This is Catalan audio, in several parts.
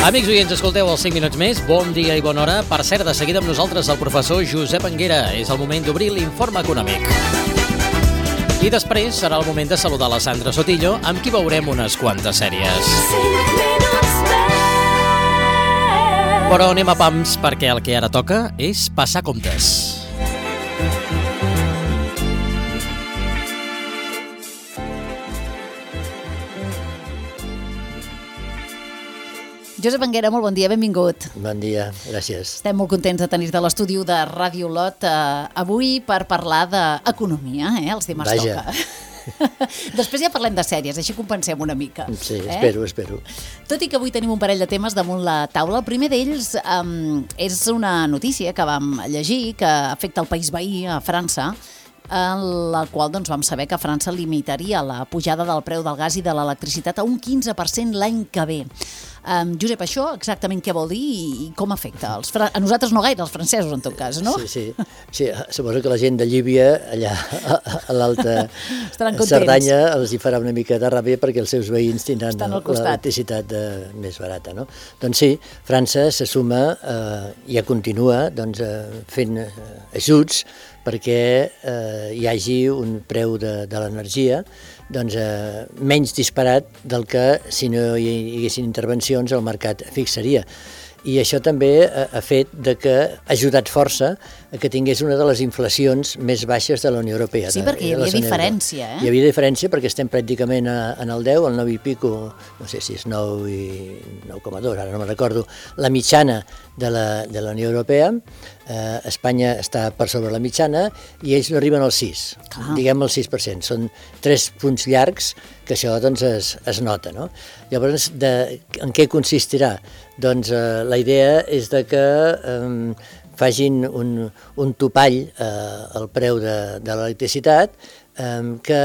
Amics oients, escolteu els 5 minuts més. Bon dia i bona hora. Per cert, de seguida amb nosaltres el professor Josep Anguera. És el moment d'obrir l'informe econòmic. I després serà el moment de saludar la Sandra Sotillo, amb qui veurem unes quantes sèries. Però anem a pams, perquè el que ara toca és passar comptes. Josep Anguera, molt bon dia, benvingut. Bon dia, gràcies. Estem molt contents de tenir-te a l'estudi de Ràdio Olot avui per parlar d'economia, els dimarts toca. Després ja parlem de sèries, així compensem una mica. Sí, espero. Tot i que avui tenim un parell de temes damunt la taula, el primer d'ells és una notícia que vam llegir que afecta el país veí, a França, en la qual vam saber que França limitaria la pujada del preu del gas i de l'electricitat a un 15% l'any que ve. Josep, això exactament què vol dir i com afecta? A nosaltres no gaire, als francesos en tot cas, no? Sí, suposo que la gent de Llívia, allà a l'Alta Cerdanya, els hi farà una mica de ràbia perquè els seus veïns tindran l'electricitat més barata, no? Doncs sí, França se suma i ja continua fent ajuts perquè hi hagi un preu de l'energia menys disparat del que si no hi haguessin intervencions el mercat fixaria. I això també ha fet que ha ajudat força a que tingués una de les inflacions més baixes de la Unió Europea. Sí, perquè hi havia diferència, Hi havia diferència perquè estem pràcticament en el 10, el 9 i pico, no sé si és 9 i 9,2, ara no me'n recordo, la mitjana de la Unió Europea. Espanya està per sobre la mitjana i ells no arriben al 6, diguem el 6%. Són 3 punts llargs que això es nota, no? Llavors, en què consistirà? Doncs la idea és que facin un topall al preu de l'electricitat que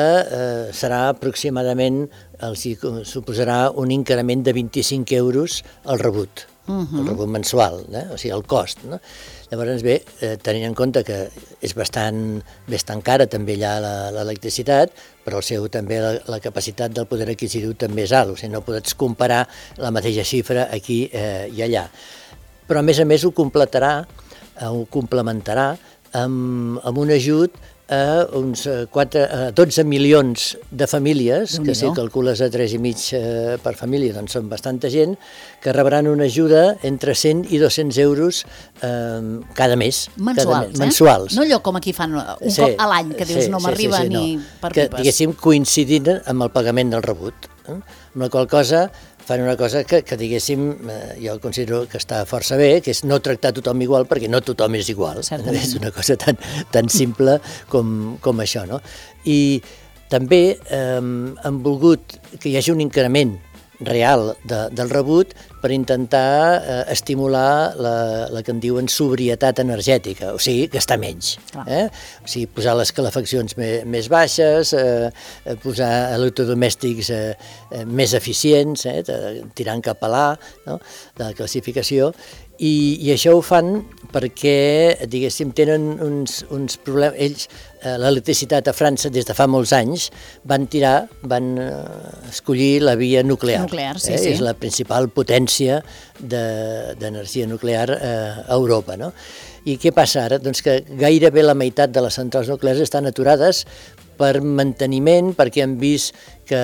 serà aproximadament, els suposarà un increment de 25 euros al rebut. El rebut mensual, o sigui, el cost, no? Llavors, bé, tenint en compte que és bastant cara també allà l'electricitat, però també la capacitat del poder adquisitiu també és alt, o sigui, no pots comparar la mateixa xifra aquí i allà. Però, a més, ho complementarà amb un ajut a uns 12 milions de famílies, que si calcules a 3,5 per família, doncs són bastanta gent, que rebran una ajuda entre 100 i 200 euros cada mes. Mensuals. No allò com aquí fan un cop a l'any, que dius no m'arriba ni per pipes. Que, diguéssim, coincidint amb el pagament del rebut. Amb la qual cosa fan una cosa que diguéssim, jo considero que està força bé, que és no tractar tothom igual, perquè no tothom és igual. Certament. És una cosa tan simple com això, no? I també han volgut que hi hagi un increment real del rebut per intentar estimular la que en diuen sobrietat energètica, o sigui, gastar menys. O sigui, posar les calefaccions més baixes, posar electrodomèstics més eficients, tirant cap a l'A, de la classificació, i això ho fan perquè, diguéssim, tenen uns problemes. Ells, l'electricitat a França, des de fa molts anys, van escollir la via nuclear. Sí. És la principal potència d'energia nuclear a Europa, no? I què passa ara? Doncs que gairebé la meitat de les centrals nuclears estan aturades per manteniment, perquè han vist que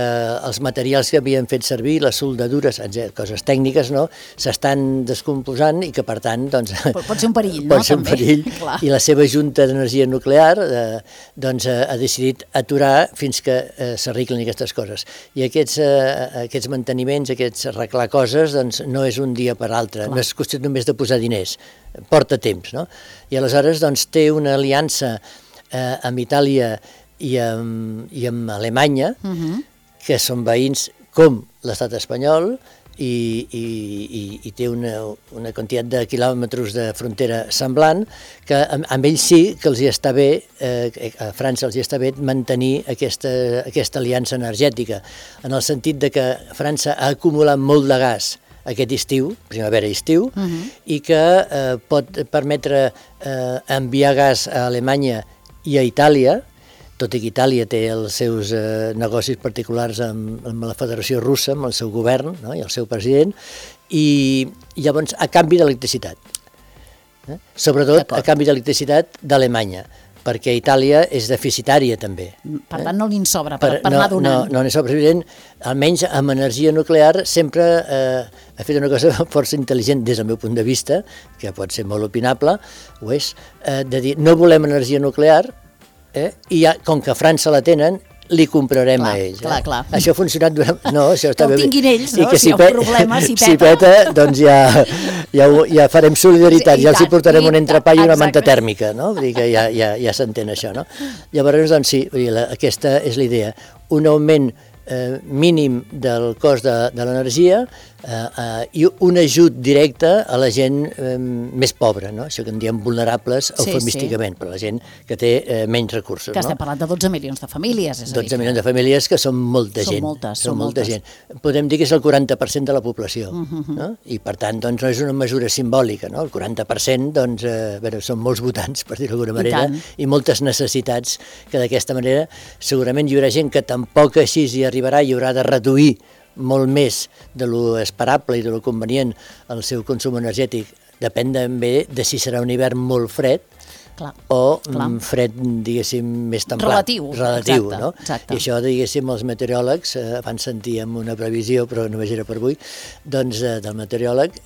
els materials que havien fet servir, les soldadures, coses tècniques, no, s'estan descomposant i que, per tant, doncs... Pot ser un perill, no? Pot ser un perill, i la seva Junta d'Energia Nuclear doncs ha decidit aturar fins que s'arreglen aquestes coses. I aquests manteniments, aquests arreglar coses, doncs no és un dia per altre, no és qüestió només de posar diners, porta temps, no? I aleshores, doncs, té una aliança amb Itàlia i amb Alemanya, que són veïns com l'estat espanyol, i té una quantitat de quilòmetres de frontera semblant, que amb ells sí que els hi està bé, a França els hi està bé mantenir aquesta aliança energètica, en el sentit de que França ha acumulat molt de gas aquest estiu, primavera i estiu, i que pot permetre enviar gas a Alemanya i a Itàlia, tot i que Itàlia té els seus negocis particulars amb la Federació Russa, amb el seu govern, no? I el seu president, i llavors a canvi d'electricitat. Sobretot a canvi d'electricitat d'Alemanya, perquè Itàlia és deficitària també. Per tant, no n'hi sobra per anar donant. No n'hi sobra. Almenys amb energia nuclear sempre ha fet una cosa força intel·ligent des del meu punt de vista, que pot ser molt opinable, ho és, de dir no volem energia nuclear i ja, com que a França la tenen, li comprarem a ells. Clar. Això ha funcionat durant... No, això està bé. Que ho tinguin ells, no? Si hi ha un problema, si peta, doncs ja farem solidaritat, ja els hi portarem un entrepà i una manta tèrmica, no? Vull dir que ja s'entén això, no? Llavors, doncs sí, aquesta és la idea. Un augment mínim del cost de l'energia i un ajut directe a la gent més pobra, no? Això que en diem vulnerables eufemísticament, per la gent que té menys recursos. Que estem parlant de 12 milions de famílies. 12 milions de famílies que són molta gent. Són molta gent. Podem dir que és el 40% de la població, no? I per tant, doncs, no és una mesura simbòlica, no? El 40%, doncs, són molts votants, per dir-ho d'alguna manera, i moltes necessitats que d'aquesta manera segurament hi haurà gent que tampoc així hi arribarà i haurà de reduir molt més de lo esperable i de lo convenient el seu consum energètic. Depèn també de si serà un hivern molt fred o fred, diguéssim, més templat. Relatiu, no? I això, diguéssim, els meteoròlegs, abans sentíem una previsió, però només era per avui, doncs del meteoròleg,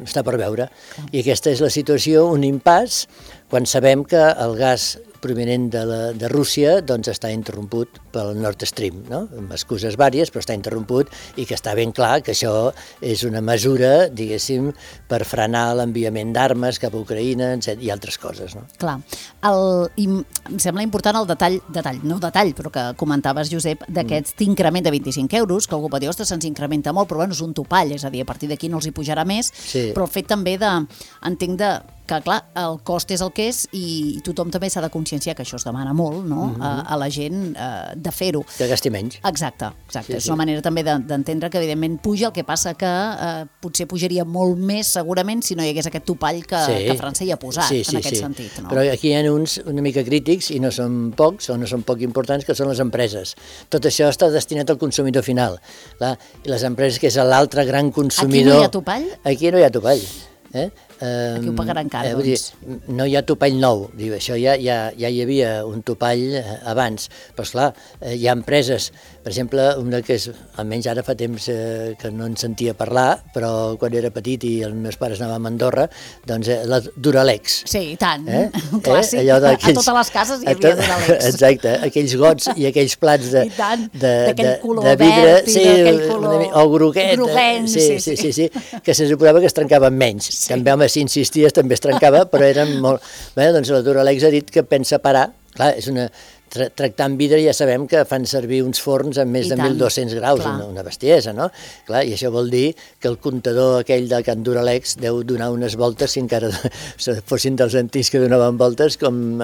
està per veure. I aquesta és la situació, un impàs, quan sabem que el gas provinent de Rússia doncs està interromput pel Nord Stream, no? Amb excuses vàries, però està interromput i que està ben clar que això és una mesura, diguéssim, per frenar l'enviament d'armes cap a Ucraïna i altres coses, no? Clar. I em sembla important el detall, però que comentaves, Josep, d'aquest increment de 25 euros, que algú pot dir, ostres, se'ns incrementa molt, però bueno, és un topall, és a dir, a partir d'aquí no els hi pujarà més, però el fet també entenc que, clar, el cost és el que és i tothom també s'ha de conscienciar que això es demana molt, no?, a la gent de fer-ho. Que gasti menys. Exacte. És una manera també d'entendre que evidentment puja, el que passa que potser pujaria molt més segurament si no hi hagués aquest topall que França hi ha posat en aquest sentit. No? Però aquí hi ha uns una mica crítics i no són pocs o no són poc importants, que són les empreses. Tot això està destinat al consumidor final. Clar, i les empreses, que és l'altre gran consumidor... Aquí no hi ha topall? Aquí no hi ha topall. Aquí ho pagaran cara, doncs. No hi ha topall nou, això ja hi havia un topall abans, però esclar, hi ha empreses, per exemple, una que és, almenys ara fa temps que no en sentia parlar, però quan era petit i els meus pares anàvem a Andorra, doncs la Duralex. Sí, i tant, un clàssic, a totes les cases hi havia Duralex. Exacte, aquells gots i aquells plats de color vidre, verd i d'aquell color o groguet, sí, que se suposava que es trencaven menys. També, home, si insisties també es trencava, però eren molt... Bé, doncs la Duralex ha dit que pensa parar. Clar, és una... Tractant vidre ja sabem que fan servir uns forns amb més de 1.200 graus, una bestiesa, no? Clar, i això vol dir que el comptador aquell de Can Duralex deu donar unes voltes, si encara fossin dels antics que donaven voltes, com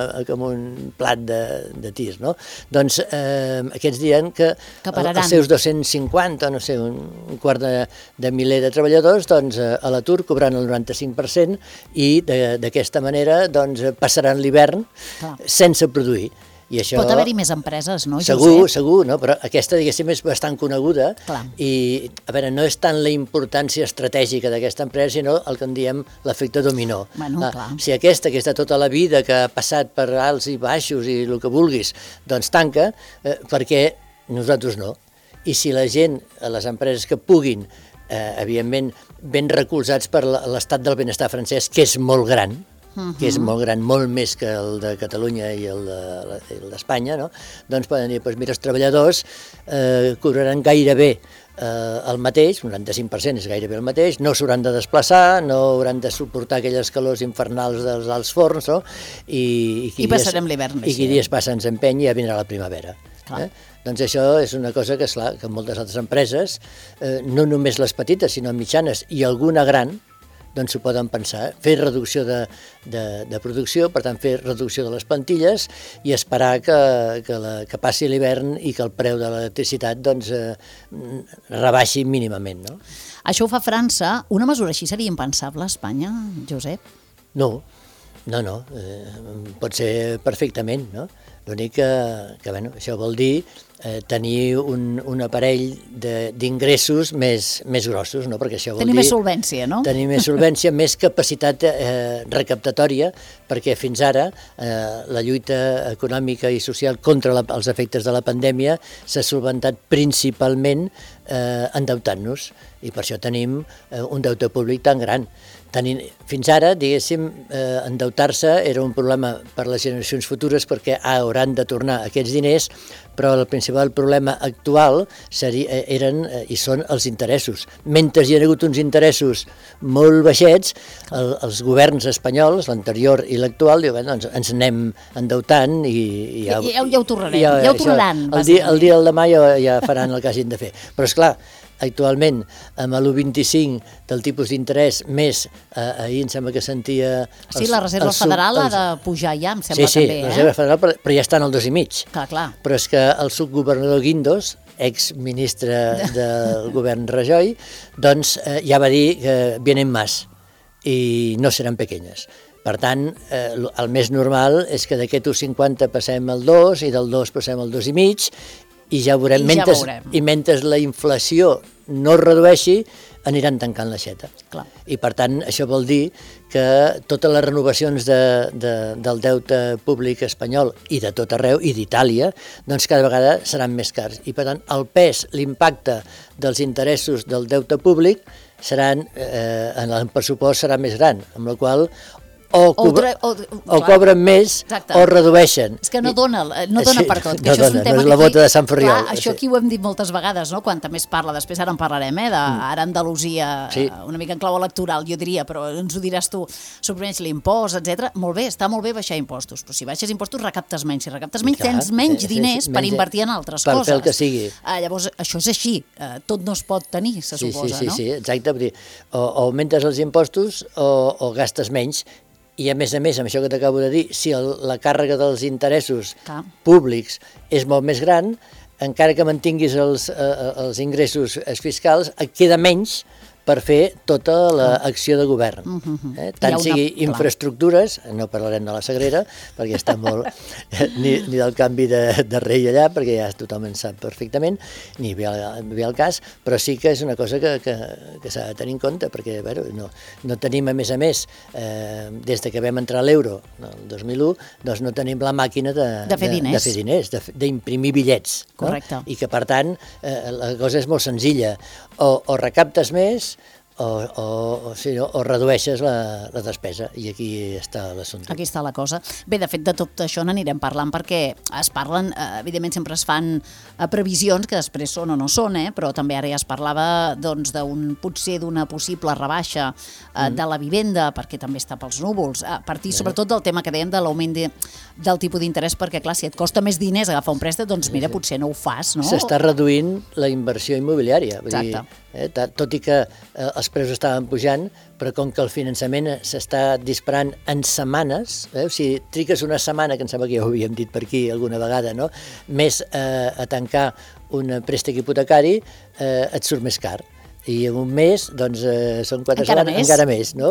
un plat de tir, no? Doncs aquests diran que els seus 250, no sé, un quart de miler de treballadors, doncs a l'atur cobraran el 95% i d'aquesta manera doncs passaran l'hivern sense produir. Això, pot haver-hi més empreses, no, Josep? Segur, no? Però aquesta, diguéssim, és bastant coneguda i, a veure, no és tant la importància estratègica d'aquesta empresa, sinó el que en diem l'efecte dominó. Si aquesta, que està tota la vida, que ha passat per alts i baixos i el que vulguis, doncs tanca, perquè nosaltres no. I si la gent, les empreses que puguin, evidentment, ben recolzats per l'estat del benestar francès, que és molt gran, molt més que el de Catalunya i el d'Espanya, no? Doncs poden dir, mira, els treballadors cobraran gairebé el mateix, un 95% és gairebé el mateix, no s'hauran de desplaçar, no hauran de suportar aquelles calors infernals dels alts forns, no? I passarem l'hivern més. I qui dies passa ens empeny i ja vindrà la primavera. Doncs això és una cosa que, esclar, que moltes altres empreses, no només les petites, sinó mitjanes i alguna gran, doncs s'ho poden pensar, fer reducció de producció, per tant fer reducció de les plantilles i esperar que passi l'hivern i que el preu de l'electricitat doncs rebaixi mínimament, no? Això ho fa França. Una mesura així seria impensable a Espanya, Josep? No, pot ser perfectament, no? L'únic que bueno, això vol dir tenir un aparell d'ingressos més grossos, no? Perquè això vol tenir dir... més solvència, no? Tenir més solvència, més capacitat recaptatòria, perquè fins ara la lluita econòmica i social contra els efectes de la pandèmia s'ha solventat principalment endeutant-nos, i per això tenim un deute públic tan gran. Fins ara, diguéssim, endeutar-se era un problema per a les generacions futures perquè hauran de tornar aquests diners, però el principal problema actual eren i són els interessos. Mentre hi ha hagut uns interessos molt baixets, els governs espanyols, l'anterior i l'actual, diuen, doncs ens anem endeutant i ja ho tornarem, ja ho tornaran. El dia del demà ja faran el que hagin de fer. Però esclar, actualment, amb l'1,25 del tipus d'interès, més, ahir em sembla que sentia... Sí, la Reserva Federal ha de pujar ja, em sembla també. Sí, la Reserva Federal, però ja està en el 2,5. Clar. Però és que el subgovernador Guindos, exministre del govern Rajoy, doncs ja va dir que vienen más i no seran pequeñas. Per tant, el més normal és que d'aquest 1,50 passem al 2 i del 2 passem al 2,5 i ja veurem. I mentre la inflació no es redueixi, aniran tancant l'aixeta. I per tant, això vol dir que totes les renovacions del deute públic espanyol i de tot arreu, i d'Itàlia, doncs cada vegada seran més cars. I per tant, el pes, l'impacte dels interessos del deute públic en el pressupost serà més gran, amb la qual o cobren més o redueixen. És que no dona per tot. No és la bota de Sant Ferriol. Això aquí ho hem dit moltes vegades, no? Quanta més parla, després ara en parlarem, ara Andalusia, una mica en clau electoral, jo diria, però ens ho diràs tu, suprimeix l'impost, etc. Molt bé, està molt bé baixar impostos, però si baixes impostos recaptes menys, si recaptes menys tens menys diners per invertir en altres coses. Per fer el que sigui. Llavors, això és així, tot no es pot tenir, se suposa, no? Sí, exacte, o augmentes els impostos o gastes menys. I a més, amb això que t'acabo de dir, si la càrrega dels interessos públics és molt més gran, encara que mantinguis els ingressos fiscals, et queda menys per fer tota l'acció de govern. Tant sigui infraestructures, no parlarem de la Sagrera, perquè està molt... ni del canvi de rei allà, perquè ja tothom en sap perfectament, ni ve al cas, però sí que és una cosa que s'ha de tenir en compte, perquè no tenim, a més, des que vam entrar a l'euro, el 2001, doncs no tenim la màquina de fer diners, d'imprimir bitllets. Correcte. I que, per tant, la cosa és molt senzilla. O recaptes més o redueixes la despesa, i aquí està l'assumpte. Aquí està la cosa. Bé, de fet, de tot això n'anirem parlant, perquè es parlen, evidentment sempre es fan previsions que després són o no són, però també ara ja es parlava potser d'una possible rebaixa de la vivenda, perquè també està pels núvols, a partir sobretot del tema que dèiem de l'augment del tipus d'interès, perquè clar, si et costa més diners agafar un préstec, doncs mira, potser no ho fas, no? S'està reduint la inversió immobiliària. Exacte. Tot i que els preus estaven pujant, però com que el finançament s'està disparant en setmanes, o sigui, triques una setmana, que em sembla que ja ho havíem dit per aquí alguna vegada, no? Més a tancar un préstec hipotecari, et surt més car. I en un mes, doncs, són 4 setmanes, encara més, no?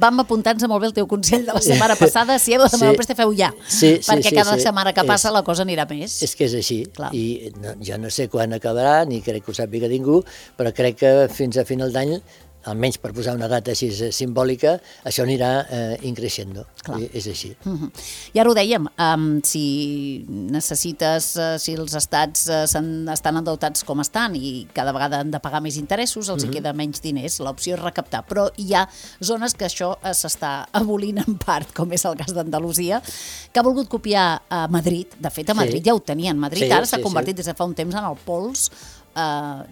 Vam apuntar-nos molt bé el teu consell de la setmana passada, si heu de demanar el préstec, feu ja, perquè cada setmana que passa la cosa anirà més. És que és així, i jo no sé quan acabarà, ni crec que ho sàpiga ningú, però crec que fins a final d'any, almenys per posar una data així simbòlica, això anirà increixent. És així. I ara ho dèiem, si necessites, si els estats estan endeutats com estan i cada vegada han de pagar més interessos, els hi queda menys diners, l'opció és recaptar. Però hi ha zones que això s'està abolint en part, com és el cas d'Andalusia, que ha volgut copiar a Madrid. De fet, a Madrid ja ho tenien. Madrid ara s'ha convertit des de fa un temps en el pols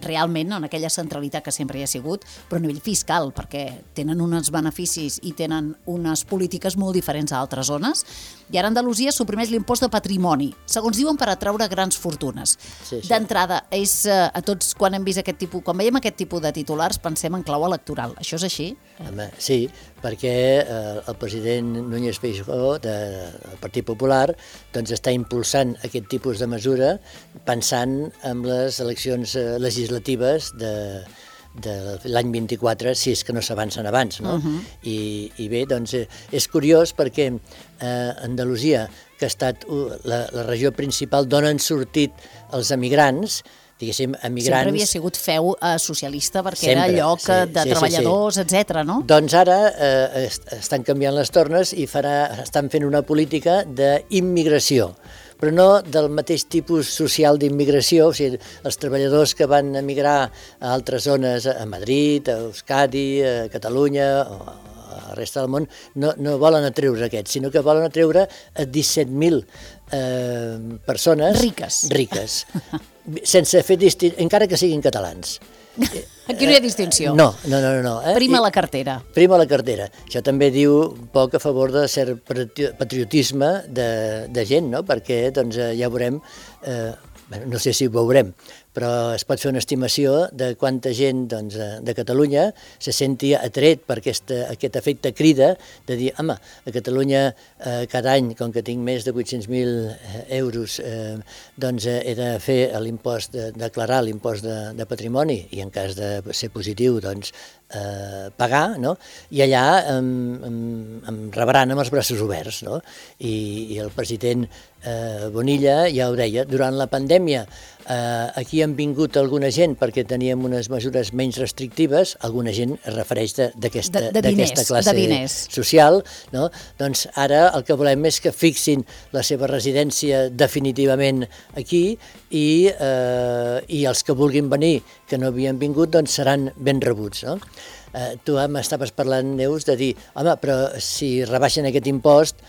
realment en aquella centralitat que sempre hi ha sigut, però a nivell fiscal, perquè tenen uns beneficis i tenen unes polítiques molt diferents a altres zones. I ara Andalusia suprimeix l'impost de patrimoni, segons diuen, per atraure grans fortunes. D'entrada, a tots, quan hem vist aquest tipus, quan veiem aquest tipus de titulars, pensem en clau electoral. Això és així? Home, sí, perquè el president Núñez Feijóo del Partit Popular doncs està impulsant aquest tipus de mesura pensant en les eleccions legislatives de l'any 24, si és que no s'avancen abans, no? I bé, doncs és curiós perquè Andalusia, que ha estat la regió principal d'on han sortit els emigrants, diguéssim, emigrants... Sempre havia sigut feu socialista perquè Sempre, era lloc de treballadors, etc. no? Doncs ara estan canviant les tornes i estan fent una política d'immigració, però no del mateix tipus social d'immigració, o sigui, els treballadors que van emigrar a altres zones, a Madrid, a Euskadi, a Catalunya, o a la resta del món, no volen atreure aquests, sinó que volen atreure a 17.000 persones riques, sense fer encara que siguin catalans. Aquí no hi ha distinció. No. Prima la cartera. Prima la cartera. Això també diu un poc a favor de cert patriotisme de gent, no? Perquè doncs, ja veurem, no sé si ho veurem, però es pot fer una estimació de quanta gent doncs, de Catalunya se senti atret per aquest efecte crida de dir, home, a Catalunya cada any, com que tinc més de 800.000 euros, doncs he de fer l'impost, declarar l'impost de patrimoni i en cas de ser positiu, doncs pagar, no? I allà em rebran amb els braços oberts, no? I el president Bonilla ja ho deia, durant la pandèmia aquí han vingut alguna gent perquè teníem unes mesures menys restrictives, alguna gent es refereix d'aquesta classe social, no? Doncs ara el que volem és que fixin la seva residència definitivament aquí i els que vulguin venir, que no havien vingut, doncs seran ben rebuts, no? Tu m'estaves parlant, Neus, de dir, home, però si rebaixen aquest impost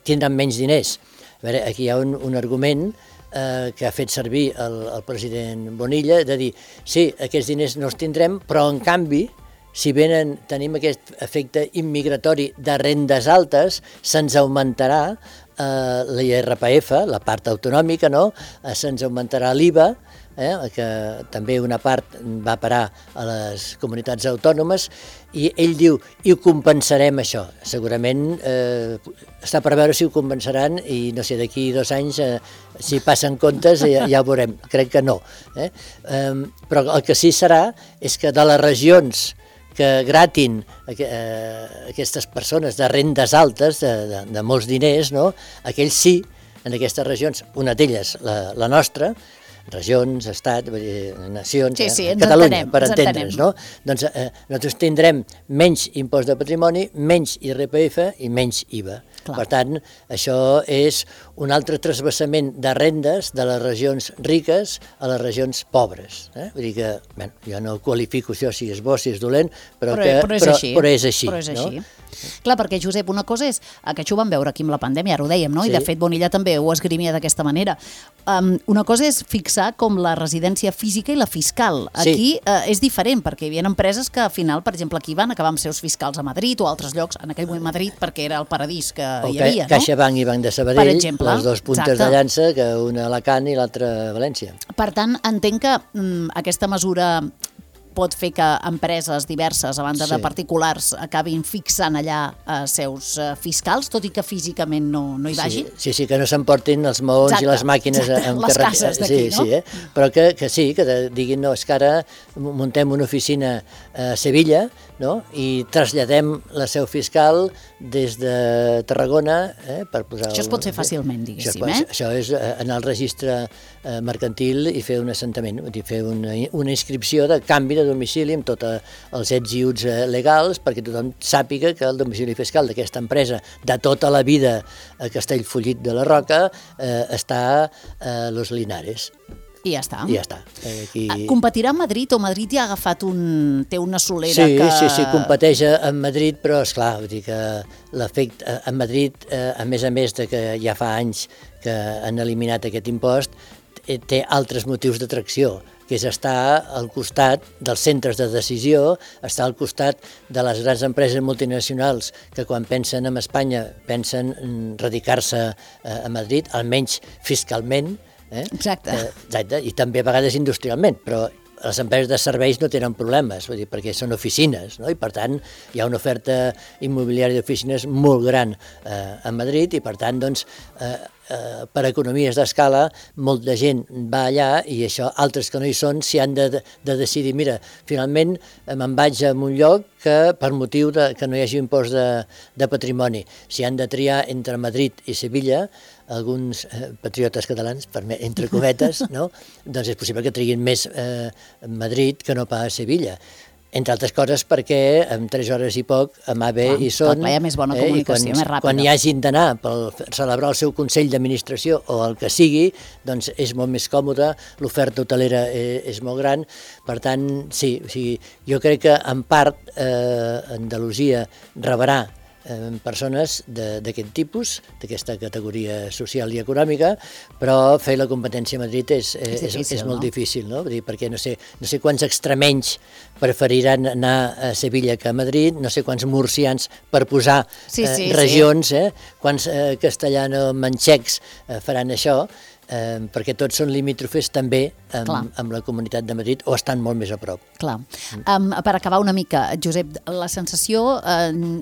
tindran menys diners. A veure, aquí hi ha un argument que ha fet servir el president Bonilla, de dir, sí, aquests diners no els tindrem, però en canvi, si tenim aquest efecte immigratori de rendes altes, se'ns augmentarà l'IRPF, la part autonòmica, no? Se'ns augmentarà l'IVA, que també una part va parar a les comunitats autònomes, i ell diu, i ho compensarem això. Segurament està per veure si ho compensaran i no sé, d'aquí 2 anys, si passen comptes ja ho veurem, crec que no. Però el que sí serà és que de les regions que gratin aquestes persones de rendes altes, de molts diners, no? Aquells sí, en aquestes regions, una d'elles, la nostra, regions, estat, nacions, Catalunya, per entendre'ns, no? Doncs nosaltres tindrem menys impost de patrimoni, menys IRPF i menys IVA. Clar. Per tant, això és un altre transvasament de rendes de les regions riques a les regions pobres. Vull dir que, bé, jo no qualifico això si és bo, si és dolent, però és així. No? Clar, perquè, Josep, una cosa és que això ho vam veure aquí amb la pandèmia, ara ho dèiem, no? I de fet Bonilla també ho esgrimia d'aquesta manera. Una cosa és fixar com la residència física i la fiscal. Aquí és diferent, perquè hi havia empreses que al final, per exemple, aquí van acabar amb seus fiscals a Madrid o a altres llocs, en aquell moment Madrid, perquè era el paradís que hi havia, no? CaixaBank i Banc de Sabadell, les dues puntes de llança, que una a Alacant i l'altra a València. Per tant, entenc que aquesta mesura pot fer que empreses diverses, a banda de particulars, acabin fixant allà seus fiscals, tot i que físicament no hi vagin? Sí, que no s'emportin els maons i les màquines les cases d'aquí, no? Sí, però que sí, que diguin, no, és que ara muntem una oficina a Sevilla, no? I traslladem la seu fiscal des de Tarragona per posar... Això es pot fer fàcilment, diguéssim, Això és anar al registre mercantil i fer un assentament, fer una inscripció de canvi de domicili amb tots els ets i uts legals perquè tothom sàpiga que el domicili fiscal d'aquesta empresa de tota la vida a Castellfollit de la Roca està a Los Linares. I ja està. I ja està. Competirà a Madrid o Madrid ja ha agafat té una solera que... Sí, competeix amb Madrid, però esclar, vull dir que l'efecte a Madrid, a més de que ja fa anys que han eliminat aquest impost, té altres motius d'atracció, que és estar al costat dels centres de decisió, estar al costat de les grans empreses multinacionals que quan pensen en Espanya pensen en radicar-se a Madrid, almenys fiscalment, Exacte, i també a vegades industrialment, però les empreses de serveis no tenen problemes, vull dir, perquè són oficines, no? I per tant hi ha una oferta immobiliària d'oficines molt gran a Madrid i per tant doncs, per economies d'escala, molta gent va allà i això, altres que no hi són, s'hi han de decidir, mira, finalment me'n vaig a un lloc que per motiu que no hi hagi impost de patrimoni. Si han de triar entre Madrid i Sevilla, alguns patriotes catalans, entre cometes, no? Doncs és possible que triguin més Madrid que no pas Sevilla. Entre altres coses perquè en 3 hores i poc amb AVE hi són, hi ha més bona comunicació, més ràpida. Quan hi hagin d'anar per celebrar el seu Consell d'Administració o el que sigui, doncs és molt més còmode, l'oferta hotelera és molt gran, per tant, sí, jo crec que en part Andalusia rebrà persones d'aquest tipus, d'aquesta categoria social i econòmica, però fer la competència a Madrid és molt difícil, no? Perquè no sé quants extremenys preferiran anar a Sevilla que a Madrid, no sé quants murcians, per posar regions, quants castellano-manxecs faran això, perquè tots són limítrofes també amb la Comunitat de Madrid o estan molt més a prop. Clar. Per acabar una mica, Josep, la sensació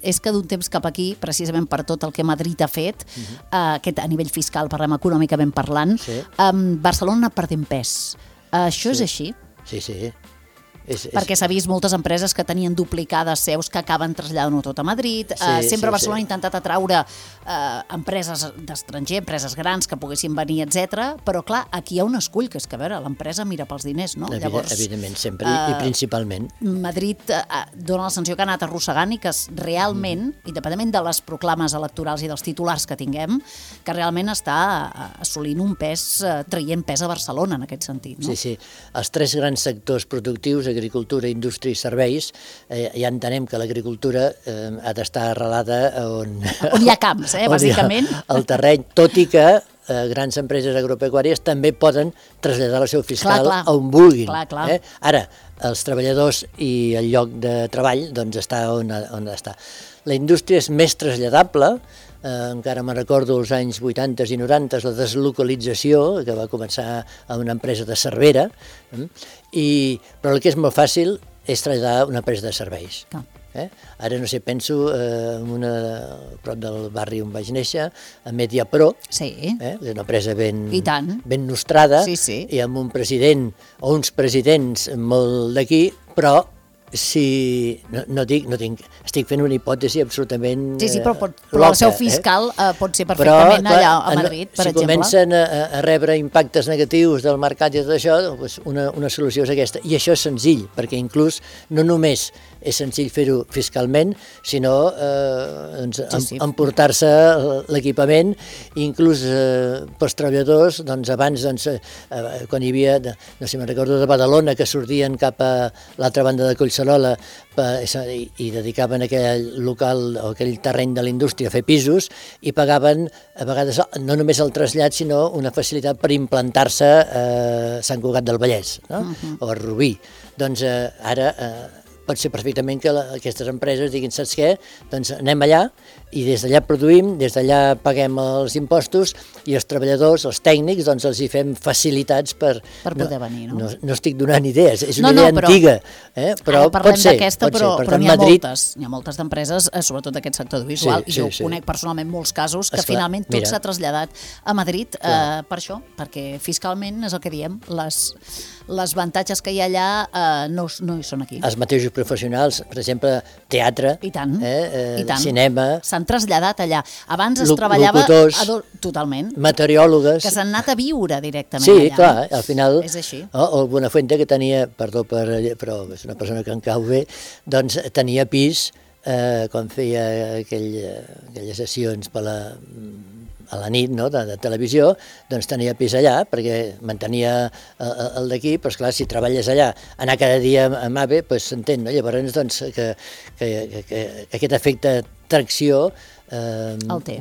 és que d'un temps cap aquí, precisament per tot el que Madrid ha fet, aquest a nivell fiscal, parlem econòmicament parlant, Barcelona ha perdent pes. Això és així? Sí. Perquè s'ha vist moltes empreses que tenien duplicades seus que acaben traslladant-ho tot a Madrid. Sempre Barcelona ha intentat atraure empreses d'estranger, empreses grans que poguessin venir, etc. Però clar, aquí hi ha un escull, que és que a veure, l'empresa mira pels diners, no? Evidentment, sempre i principalment. Madrid dona la sensació que ha anat arrossegant i que realment, independentment de les proclames electorals i dels titulars que tinguem, que realment està assolint un pes, traient pes a Barcelona en aquest sentit, no? Sí. Els 3 grans sectors productius, agricultura, indústria i serveis, ja entenem que l'agricultura ha d'estar arrelada on hi ha camps, bàsicament. El terreny, tot i que grans empreses agropecuàries també poden traslladar la seu fiscal on vulguin. Ara, els treballadors i el lloc de treball doncs està on està. La indústria és més traslladable, encara me'n recordo els anys 80 i 90, la deslocalització, que va començar a una empresa de Cervera, però el que és molt fàcil és traslladar una empresa de serveis. Ara, no sé, penso en prop del barri on vaig néixer, a Mediapro, és una empresa ben nostrada, i amb un president o uns presidents molt d'aquí, però estic fent una hipòtesi absolutament però la seu fiscal pot ser perfectament allà a Madrid, per exemple. Si comencen a rebre impactes negatius del mercat i tot això, una solució és aquesta. I això és senzill, perquè inclús no només és senzill fer-ho fiscalment, sinó emportar-se l'equipament, inclús pels treballadors, abans, quan hi havia, no sé, me'n recordo de Badalona, que sortien cap a l'altra banda de Collserola i dedicaven aquell local o aquell terreny de la indústria a fer pisos i pagaven a vegades no només el trasllat, sinó una facilitat per implantar-se a Sant Cugat del Vallès o a Rubí. Doncs ara pot ser perfectament que aquestes empreses diguin, saps què? Doncs anem allà i des d'allà produïm, des d'allà paguem els impostos i els treballadors, els tècnics, doncs els hi fem facilitats per poder venir, no? No estic donant idees, és una idea antiga, però pot ser. Però n'hi ha moltes d'empreses, sobretot d'aquest sector audiovisual, i jo conec personalment molts casos que finalment tot s'ha traslladat a Madrid per això, perquè fiscalment és el que diem, les avantatges que hi ha allà no hi són aquí. Els mateixos professionals, per exemple, teatre, cinema, s'han traslladat allà. Abans es treballava totalment. Meteoròlogues. Que s'han anat a viure directament allà. Sí, clar, al final... És així. El Buenafuente, que tenia, perdó, però és una persona que em cau bé, doncs tenia pis quan feia aquelles sessions a la nit de televisió, doncs tenia pis allà perquè mantenia el d'aquí, però esclar, si treballes allà, anar cada dia amb AVE, doncs s'entén, no? Llavors, doncs, que aquest efecte tracció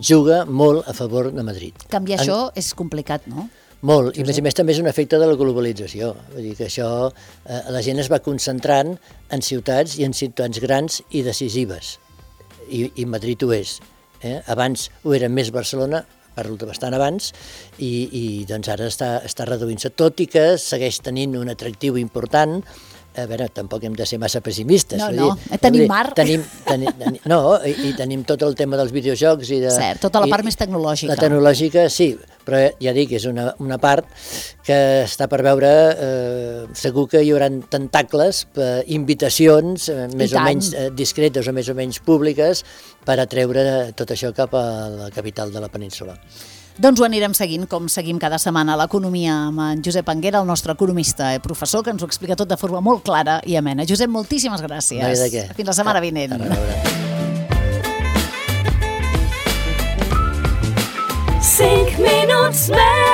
juga molt a favor de Madrid. Canviar això és complicat, no? Molt, i a més també és un efecte de la globalització, vull dir que això, la gent es va concentrant en ciutats i en ciutats grans i decisives, i Madrid ho és. Abans ho era més Barcelona, parlo de bastant abans, i doncs ara està reduint-se, tot i que segueix tenint un atractiu important a veure, tampoc hem de ser massa pessimistes. No, tenim mar. I tenim tot el tema dels videojocs i de... Cert, tota la part més tecnològica. La tecnològica, sí, però ja dic, és una part que està per veure, segur que hi haurà tentacles, invitacions més o menys discretes o més o menys públiques per atreure tot això cap a la capital de la península. Doncs ho anirem seguint, com seguim cada setmana l'economia amb en Josep Anguera, el nostre economista i professor, que ens ho explica tot de forma molt clara i amena. Josep, moltíssimes gràcies. No hi ha de què. Fins la setmana vinent. A reveure. 5 minuts més.